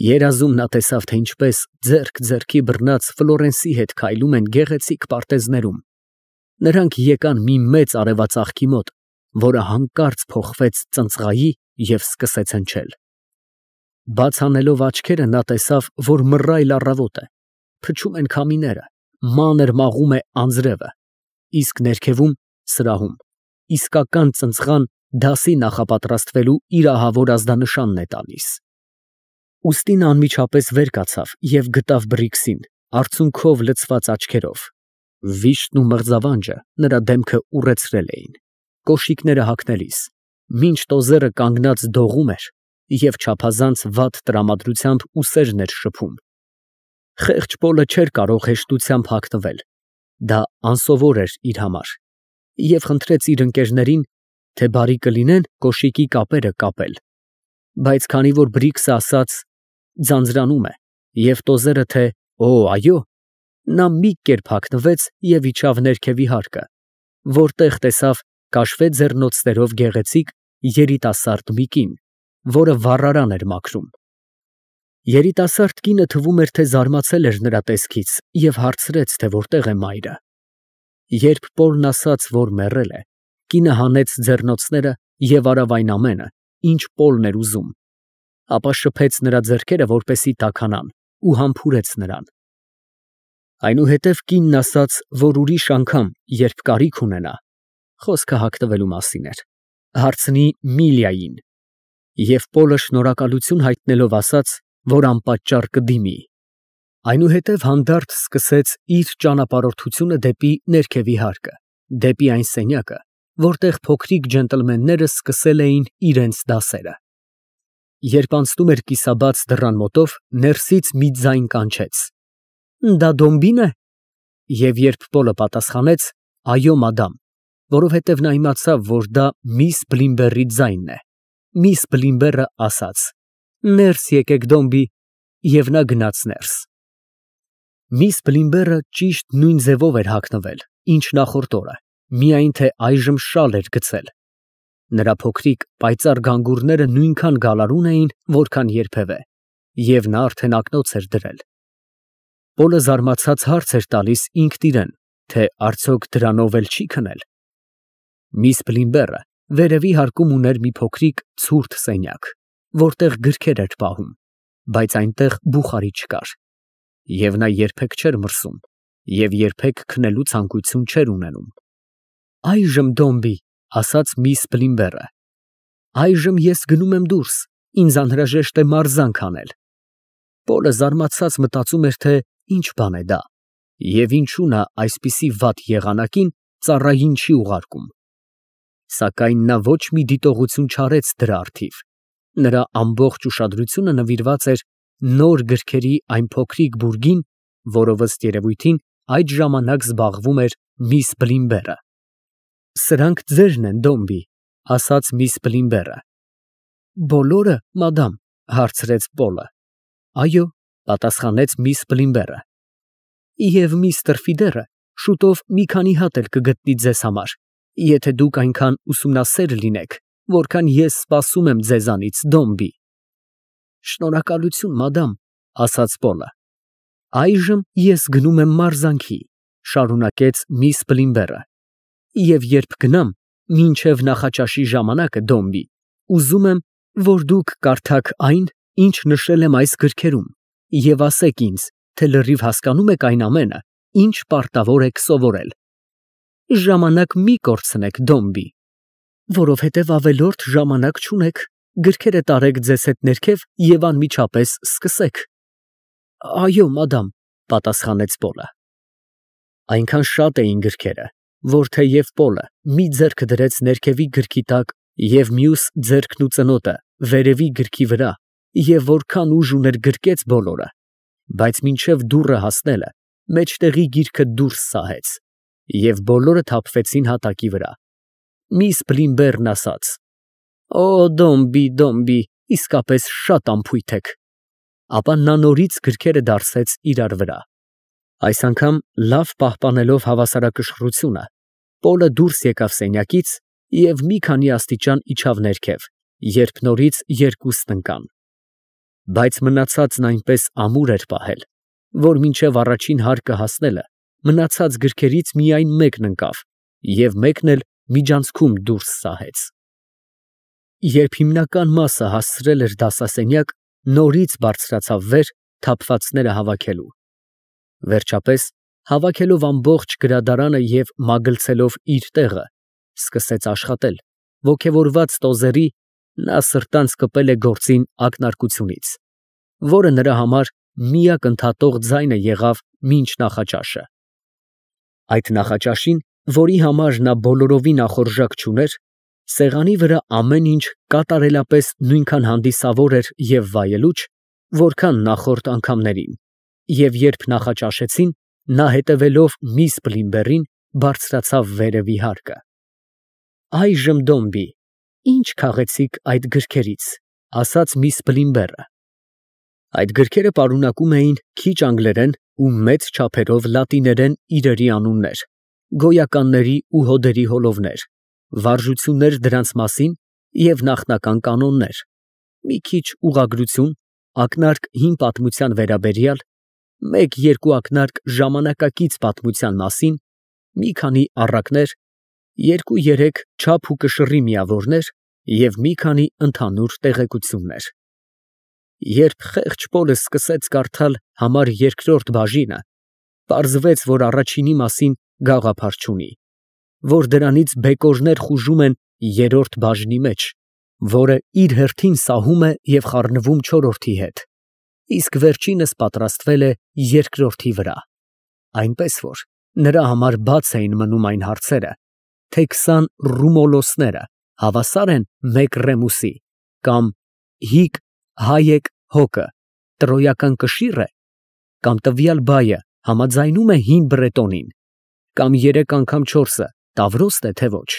Երազում նա տեսավ, թե ինչպես ձեռք ձեռքի բռնած Ֆլորենսի հետ քայլում են գեղեցիկ պարտեզներում. նրանք եկան մի մեծ արևածաղկի մոտ, որը հանկարծ փոխվեց ծնծղայի և սկսեց հնչել։ Բաց անելով աչքերը, նա տեսավ, որ մռայլ առավոտ է, փչում են քամիները, մանր մաղում է անձրևը, իսկ ներքևում սրահում իսկական ծնծղան դասի նախապատրաստվելու իր ահավոր ազդանշանն է տալիս։ Ուստի նա անմիջապես վեր կացավ և գտավ Բրիքսին, արցունքով լցված աչքերով։ Վիշտն ու մղձավանջը նրա դեմքը ուռեցրել էին, կոշիկները հագնելիս, մինչ տոզերը կանգնած դողում էր և չափազանց վատ տրամադրությամբ ուսերն էր շփում։ Խեղճ Պոլը չէր կարող հեշտությամբ հագնվել, դա անսովոր էր իր համար, և խնդրեց իր ընկերներին, թե բարի կլինեն կոշիկի կապերը կապել, բայց քանի որ Բրիքսը ասաց ձանձրանում է և տոզերը թե «Օ, այո», նա մի կերպ հագնվեց և իջավ ներքևի հարկը, որտեղ տեսավ կաշվե ձեռնոցներով գեղեցիկ երիտասարդ մի կին, որը վառարան էր մաքրում։ Երիտասարդ կինը թվում էր, թե զարմացել էր նրա տեսքից և հարցրեց, թե որտեղ է մայրը։ Երբ Պոլն ասաց, որ մեռել է, կինը հանեց ձեռնոցները և արավ այն ամենը, ինչ Պոլն էր ուզում, ապա շփեց նրա ձեռքերը, որպեսզի տաքանան, ու համբուրեց նրան։ Այնուհետև կինն ասաց, որ ուրիշ անգամ, երբ կարիք ունենա, խոսքը հագնվելու մասին էր, հարցնի Միլիային, և Պոլը շնորհակալություն հայտնելով ասաց, որ անպատճառ կդիմի։ Այնուհետև հանդարտ սկսեց իր ճանապարհորդությունը դեպի ներքևի հարկը, դեպի այն սենյակը, որտեղ փոքրիկ ջենտլմենները սկսել էին իրենց դասերը։ Երբ անցնում էր կիսաբաց դռան մոտով, ներսից մի ձայն կանչեց. «Դա Դոմբին է»։ Եվ երբ Պոլը պատասխանեց. «Այո, մադամ», որովհետև նա իմացավ, որ դա միս Բլիմբերի ձայնն է, միս Բլիմբերը ասաց. «Ներս եկեք, Դոմբի», և նա գնաց ներս։ Միս Բլիմբերը ճիշտ նույն ձևով էր հագնվել, ինչ նախորդ օրը, միայն թե այժմ շալ էր գցել։ Նրա փոքրիկ պայծառ գանգուրները նույնքան գալարուն էին, որքան երբևէ, և նա արդեն ակնոց էր դրել։ Պոլը զարմացած հարց էր տալիս ինքն իրեն, թե արդյոք դրանով էլ չի քնել։ Միս Բլիմբերը վերևի հարկում ուներ մի փոքրիկ ցուրտ սենյակ, որտեղ գրքեր էր պահում, բայց այնտեղ բուխարի չկար, և նա երբեք չէր մրսում և երբեք քնելու ցանկություն չէր ունենում։ «Այժմ, Դոմբի», ասաց միս Բլիմբերը, «այժմ ես գնում եմ դուրս, ինձ անհրաժեշտ է մարզանք անել»։ Պոլը զարմացած մտածում էր, թե ինչ բան է դա, և ինչու նա այսպիսի վատ եղանակին ծառային չի ուղարկում։ Սակայն նա ոչ մի դիտողություն չարեց դրա առթիվ, նրա ամբողջ ուշադրությունը նվիրված էր նոր գրքերի այն փոքրիկ բուրգին, որով ըստ երևույթին այդ ժամանակ զբաղվում էր միս Բլիմբերը։ «Սրանք ձերն են, Դոմբի», ասաց միս Բլիմբերը։ «Բոլորը, մադամ», հարցրեց Պոլը։ «Այո», պատասխանեց միս Բլիմբերը։ «Եվ միստր Ֆիդերը շուտով մի քանի հատ էլ կգտնի ձեզ համար, եթե դուք այնքան ուսումնասեր լինեք, որքան ես սպասում եմ ձեզանից, Դոմբի»։ «Շնորհակալություն, մադամ», ասաց Պոլը։ «Այժմ ես գնում եմ մարզանքի», շարունակեց միս Բլիմբերը, «և երբ գնամ, մինչև նախաճաշի ժամանակը, Դոմբի, ուզում եմ, որ դուք կարդաք այն, ինչ նշել եմ այս գրքերում, և ասեք ինձ, թե լրիվ հասկանում եք այն ամենը, ինչ պարտավոր եք սովորել։ Ժամանակ մի կորցնեք, Դոմբի, որովհետև ավելորդ ժամանակ չունեք, գրքերը տարեք ձեզ հետ ներքև և անմիջապես սկսեք»։ «Այո, մադամ», պատասխանեց Պոլը։ Այնքան շատ էին գրքերը, որ թեև Պոլը մի ձեռքը դրեց ներքևի գրքի տակ և մյուս ձեռքն ու ծնոտը վերևի գրքի վրա, և որքան ուժ ուներ գրկեց բոլորը, բայց մինչև դուռը հասնելը մեջտեղի գիրքը դուրս սահեց, և բոլորը թափվեցին հատակի վրա։ Միս Բլիմբերն ասաց. «Օ, Դոմբի, Դոմբի, իսկապես շատ անփույթ եք»։ Ապա նա նորից գրքերը դարսեց իրար վրա։ Այս անգամ լավ պահպանելով հավասարակշռությունը, Պոլը դուրս եկավ սենյակից և մի քանի աստիճան իջավ ներքև, երբ նորից երկուսն ընկան։ Բայց մնացածն այնպես ամուր էր պահել, որ մինչև առաջին հարկը հասնելը մնացած գրքերից միայն մեկն ընկավ և մեկն էլ միջանցքում դուրս սահեց։ Երբ հիմնական մասը հասցրել էր դասասենյակ, նորից բարձրացավ վեր, թափվածները հավաքելու։ Վերջապես, հավաքելով ամբողջ գրադարանը և մագլցելով իր տեղը, սկսեց աշխատել, ոգևորված տոզերի, նա սրտանց կպել է գործին ակնարկությունից, որը նրա համար միակ ընդհատող ձայնը եղավ մինչ նախաճաշը։ Այդ նախաճաշին, որի համար նա բոլորովին ախորժակ չուներ, սեղանի վրա ամեն ինչ կատարելապես նույնքան հանդիսավոր էր և վայելուչ, որքան նախորդ անգամներին, և երբ նախաճաշեցին, նա հետևելով միս Բլիմբերին, բարձրացավ վերևի հարկը։ «Այժմ, Դոմբի, ի՞նչ քաղեցիք այդ գրքերից», ֊ ասաց միս Բլիմբերը։ Այդ գրքերը պարունակում էին քիչ անգլերեն ու մեծ չափերով լատիներեն իրերի անուններ, գոյականների ու հոդերի հոլովներ, վարժություններ դրանց մասին և նախնական կանոններ, մի քիչ ուղղագրություն, ակնարկ հին պատմության վերաբերյալ, մեկ֊երկու ակնարկ ժամանակակից պատմության մասին, մի քանի առակներ, երկու֊երեք չափ ու կշռի միավորներ և մի քանի ընդհանուր տեղեկություններ։ Երբ խեղճ Պոլը սկսեց կարդալ համար երկրորդ բաժինը, պարզվեց, որ առաջինի մասին գաղափար չունի, որ դրանից բեկորներ խուժում են երրորդ բաժնի մեջ, որը իր հերթին սահում է և խառնվում չորրորդի հետ, իսկ վերջինս պատրաստվել է երկրորդի վրա, այնպես որ նրա համար բաց էին մնում այն հարցերը, թե 20 ռումոլոսները հավասա՞ր են մեկ ռեմուսի, կամ հիկ Հայեք հոկը տրոյական կշի՞ռ է, կամ տվյալ բայը համաձայնու՞մ է հին բրետոնին, կամ 3 անգամ 4-ը Տավրոստ է, թե ոչ։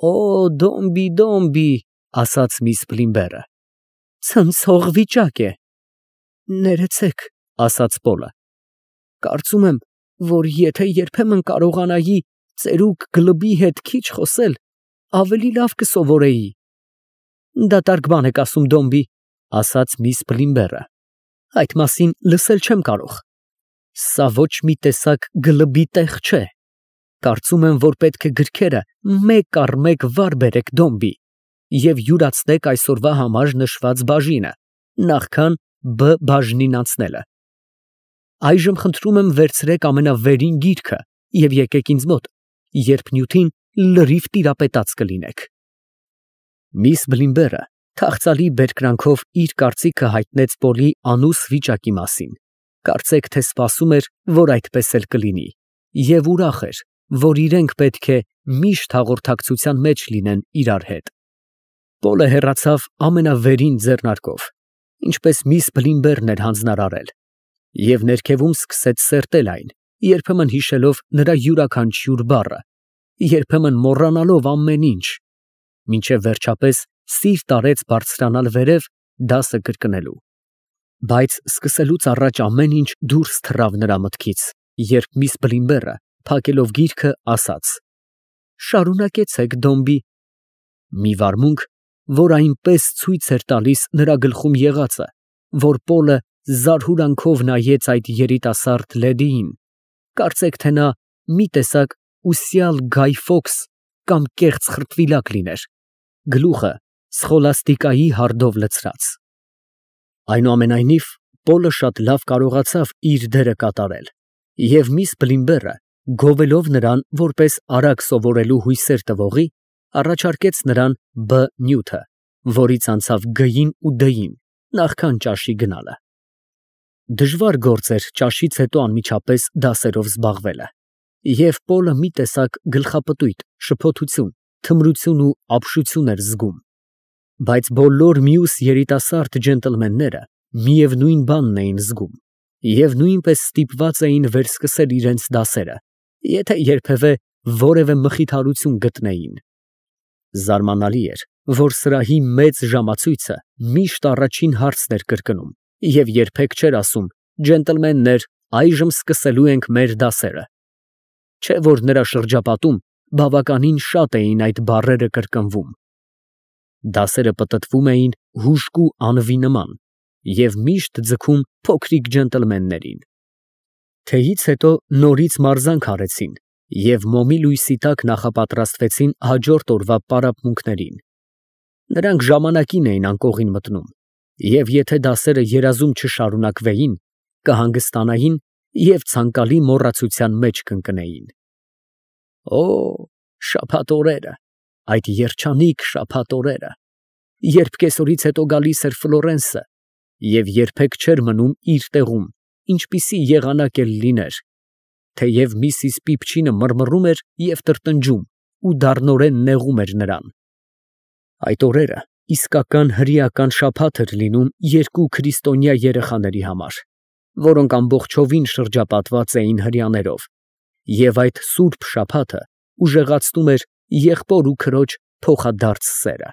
«Օ, Դոմբի, Դոմբի», ֊ ասաց միս Բլիմբերը, ֊ ցնցող վիճակ է։ «Ներեցեք», ֊ ասաց Պոլը, ֊ կարծում եմ, որ եթե երբեմն կարողանայի ծերուկ Գլբի հետ քիչ խոսել, ավելի լավ կսովորեի։ «Դատարկ բան եք ասում, Դոմբի», ֊ ասաց միս Բլիմբերը, ֊ այդ մասին լսել չեմ կարող։ Սա ոչ մի տեսակ գլբի տեղ չէ։ Կարծում եմ, որ պետք է գրքերը մեկ առ մեկ վար բերեք, Դոմբի, և յուրացնեք այսօրվա համար նշված բաժինը, նախքան Բ բաժնին անցնելը։ Այժմ խնդրում եմ վերցրեք ամենավերին գիրքը և եկեք ինձ մոտ, երբ նյութին լրիվ տիրապետած կլինեք։ Միս Բլիմբերը թախծալի բերկրանքով իր կարծիքը հայտնեց Պոլի անուս վիճակի մասին, կարծեք թե սպասում էր, որ այդպես էլ կլինի, և ուրախ էր, որ իրենք պետք է միշտ հաղորդակցության մեջ լինեն իրար հետ։ Պոլը հեռացավ ամենավերին ձեռնարկով, ինչպես միս Բլիմբերն էր հանձնարարել, և ներքևում սկսեց սերտել այն, երբեմն հիշելով նրա յուրաքանչյուր բառը, երբեմն մոռանալով ամեն ինչ, մինչև վերջապես սիրտ արեց բարձրանալ վերև դասը կրկնելու։ Բայց սկսելուց առաջ ամեն ինչ դուրս թռավ նրա մտքից, երբ միս Բլիմբերը, փակելով գիրքը, ասաց. «Շարունակեցեք, Դոմբի»։ Մի վարմունք, որ այնպես ցույց էր տալիս նրա գլխում եղածը, որ Պոլը զարհուրանքով նայեց այդ երիտասարդ լեդիին, կարծեք թե նա մի տեսակ ուսյալ Գայ Ֆոքս կամ կեղծ խրտվիլակ լիներ, գլուխը սխոլաստիկայի հարդով լցրած։ Այնուամենայնիվ, Պոլը շատ լավ կարողացավ իր դերը կատարել, և միս Բլիմբերը, գովելով նրան որպես արագ սովորելու հույսեր տվողի, առաջարկեց նրան Բ նյութը, որից անցավ Գ-ին ու D-ին, նախքան ճաշի գնալը։ Դժվար գործ էր ճաշից հետո անմիջապես դասերով զբաղվելը, և Պոլը մի տեսակ գլխապտույտ, շփոթություն, թմրություն ու ապշություն էր զգում, բայց բոլոր մյուս երիտասարդ ջենտլմենները միևնույն բանն էին զգում և նույնպես ստիպված էին վերսկսել իրենց դասերը, եթե երբևէ որևէ մխիթարություն գտնեին։ Զարմանալի էր, որ սրահի մեծ ժամացույցը միշտ առաջին հարցն էր կրկնում և երբեք չէր ասում. «Ջենտլմեններ, այժմ սկսելու ենք մեր դասերը», չէ՞ որ նրա շրջապատում բավականին շատ էին այդ բառերը կրկնվում։ Դասերը պտտվում էին հուժկու անվի նման, և միշտ ձգում փոքրիկ ջենտլմեններին։ Թեյից հետո նորից մարզանք արեցին և մոմի լույսի տակ նախապատրաստվեցին հաջորդ օրվա պարապմունքներին։ Նրանք ժամանակին էին անկողին մտնում, և եթե դասերը երազում չշարունակվեին, կհանգստանային և ցանկալի մոռացության մեջ կընկնեին։ Օ, շաբաթ օրերը, այդ երջանիկ շաբաթ օրերը, երբ կեսօրից հետո գալիս էր Ֆլորենսը և երբեք չէր մնում իր տեղում, ինչպիսի եղանակ էլ լիներ, թեև միսիս Պիպչինը մռմռում էր և տրտնջում ու դառնորեն նեղում էր նրան։ Այդ օրերը իսկական հրեական շաբաթ էր լինում երկու քրիստոնյա երեխաների համար, որոնք ամբողջովին շրջապատված էին հրեաներով, և այդ սուրբ շաբաթը ուժեղացնում էր եղբոր ու քրոջ փոխադարձ սերը։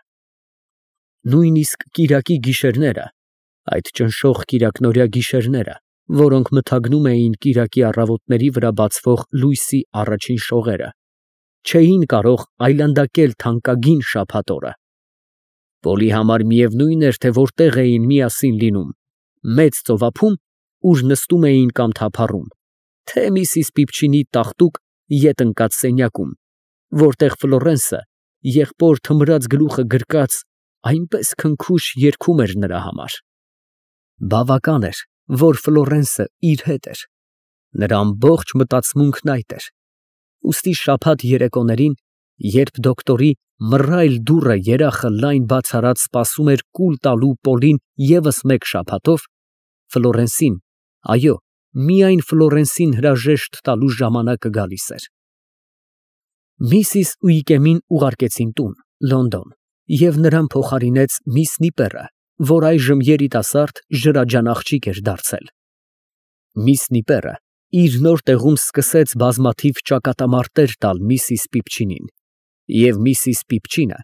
Նույնիսկ կիրակի գիշերները, այդ ճնշող կիրակնօրյա գիշերները, որոնք մթագնում էին կիրակի առավոտների վրա բացվող լույսի առաջին շողերը, չէին կարող այլանդակել թանկագին շաբաթ օրը։ Պոլի համար միևնույն էր, թե որտեղ էին միասին լինում, մեծ ծովափում, ուր նստում էին կամ թափառում, թե միսիս Պիպչինի տաղտուկ ետ ընկած սենյակում, որտեղ Ֆլորենսը, եղբոր թմրած գլուխը գրկած, այնպես քնքուշ երգում էր նրա համար։ Բավական էր, որ Ֆլորենսը իր հետ էր, նրա ամբողջ մտածմունքն այդ էր, ուստի շաբաթ երեկոներին, երբ դոկտորի մռայլ դուռը երախը լայն բաց արած սպասում էր կուլ տալու Պոլին ևս մեկ շաբաթով, Ֆլորենսին, այո, միայն Ֆլորենսին հրաժեշտ տալու ժամանակը գալիս էր։ Միսիս Ուիկեմին ուղարկեցին տուն, Լոնդոն, և նրան փոխարինեց միս Նիպերը, որ այժմ երիտասարդ ջրաջան աղջիկ էր դարձել։ Միս Նիպերը իր նոր տեղում սկսեց բազմաթիվ ճակատամարտեր տալ միսիս Պիպչինին, և միսիս Պիպչինը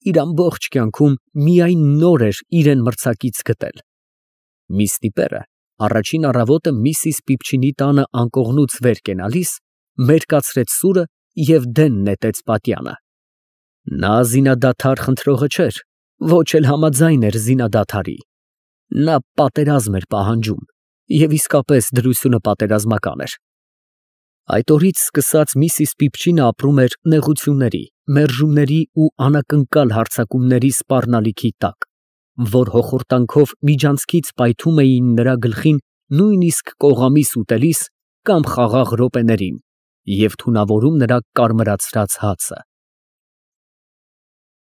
իր ամբողջ կյանքում միայն նոր էր իրան մրցակից գտել։ Միս Նիպերը առաջին առավոտը միսիս Պիպչինի տանը անկողնուց վեր կենալիս, մերկացրեց սուրը և դեն նետեց պատյանը։ Նա զինադադար խնդրողը չէր, ոչ էլ համաձայն էր զինադադարի։ Նա պատերազմ էր պահանջում, և իսկապես դրությունը պատերազմական էր։ Այդ օրից սկսած միսիս Պիպչինը ապրում էր նեղությունների, մերժումների ու անակնկալ հարձակումների սպառնալիքի տակ, որ հոխորտանքով միջանցքից պայթում էին նրա գլխին նույնիսկ կողամիս ուտելիս կամ խաղաղ րոպեներին և թունավորում նրա կարմրացրած հացը։